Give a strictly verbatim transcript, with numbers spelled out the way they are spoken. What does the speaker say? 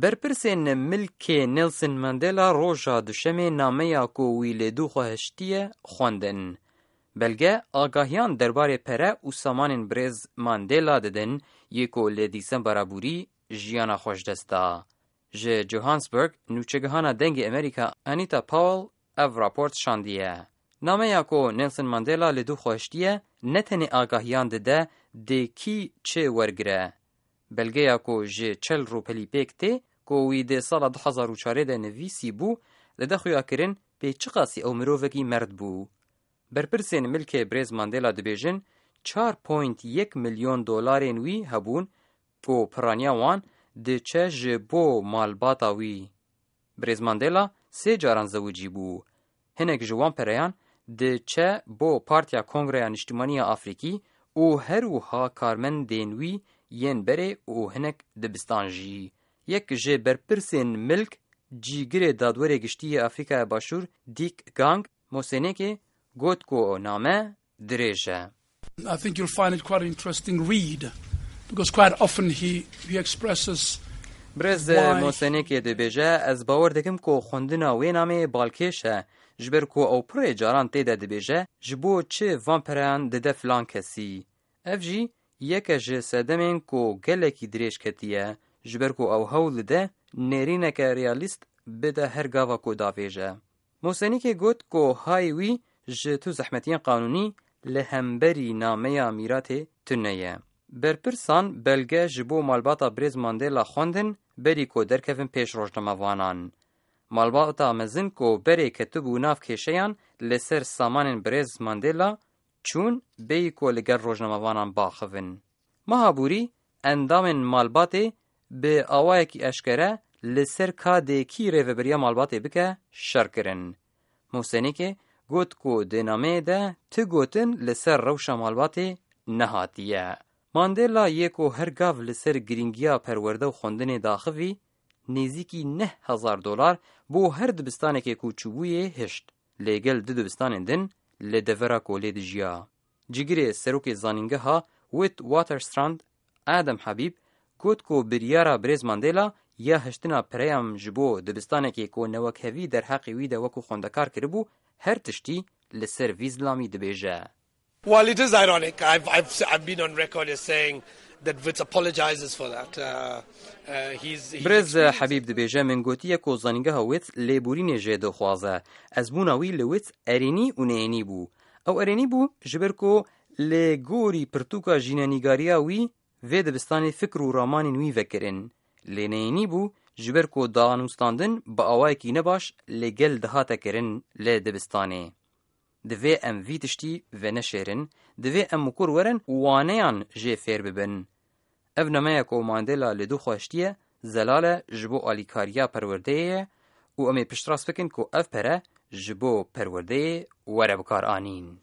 Berpirsên milkê Nelson Mandela roja Duşemê nameya ku wî li dû xwe hiştiye xwendin. Belge agahiyan derbarê pere û samanên birêz Mandela didin, yê ku li Dîsembera bûrî jiyana xwe ji dest da. Ji Johannesburg, nûçegihana Dengê Amerîka Anita Powell ev raport şandiye. Nameya ku Nelson Mandela li dû xwe hiştiye, ne tenê agahiyan dide dê kî çi wergire. Belgeya ku ji çel rûpelî pêk tê, ku wî di sala du hezar û çarê de nivîsî bû, dide xuyakirin pê çiqasî ew mirovekî merd bû. Berpirsên milkê birêz Mandela dibêjin, çar point yek milyon dolarên wî hebûn, ku piraniya wan diçe ji bo malbata wî. Birêz Mandela sê caran zewicî bû. Hinek ji wan pereyan diçe bo Partiya Kongreya Niştimanî ya Afrîkî û her wiha karmendên wî yên berê û hinek dibistan jî. Yek ji berpirsên milk, cîgirê Dadwerê Giştî yê Afrîkaya Başûr, Dick Gang, Moseneke got ku name dirêj e. I think you'll find it quite an interesting read, because quite often he, he expresses Birêz why Moseneke dibêje, ez bawer dikim ku xwendina wê nameyê balkêş e, ji ber ku ew pirê caran tê de dibêje, ji bo çi van pereyan dide filan kesî. Ev jî yeke ji sedemên ku gelekî dirêj ketiye, ji ber ku ew hewl dide nêrîneke realîst bide her gava ku davêje. Mosenîkê got ku hayê wî ji tu zehmetiyên qanûnî li hemberî nameya mîratê tune ye. Berpirsan belge ji bo malbata birêz Mandela xwendin berî ku derkevin pêş rojnamevanan. Malbata mezin ku berê ketibû nav kêşeyan li ser samanên birêz Mandela çûn bêyî ku li gel rojnamevanan baxivin. Meha bûrî endamên malbatê bi awayekî eşkere li ser ka dê kî rêveberiya malbatê bike şer kirin. Mosenîkê got ku di nameyê de ti gotin li ser rewşa malbatê nehatiye. Mandela yê ku her gav li ser girîngiya perwerde û xwendinê daxivî, nêzîkî neh hezar dolar bo her dibistanekê ku çûbûyê hişt. Lê gel du dibistanên din li devera kolê dijiya. Cigirê serokê zanîngeha Witwatersrand, Adam Habib, got ku biryara birêz Mandela ya hiştina pereyan ji bo dibistanekê ku newekhevî derheqê wî de wekû xwendekar kiribû, her tiştî li ser vî zilamî dibêje. While it is ironic, I've, I've, I've been on record as saying that Wits apologizes for that. Uh, uh, he's, he's Birêz experienced Habîb dibêje, min gotiye ku zanîngeha Wits lêborînê jê dixwaze. Ez bûna wî li Wits erênî û neyênî bû. Ew erênî bû, ji ber ku li gorî pirtûka jînenîgariya wî vê dibistanê fikr û ramanên wî vekirin. Lê neyênî bû, ji ber ku danûstandin bi awayekî nebaş li gel dihate kirin li dibistanê. Divê em vî tiştî veneşêrin, divê em mikur werin û waneyan jê fêr bibin. Ev nameya ku Mandela li dû xwe hiştiye, zelal e ji bo alîkariya perwerdeyê ye û em ê piştrast bikin ku ev pere ji bo perwerdeyê were bikaranîn.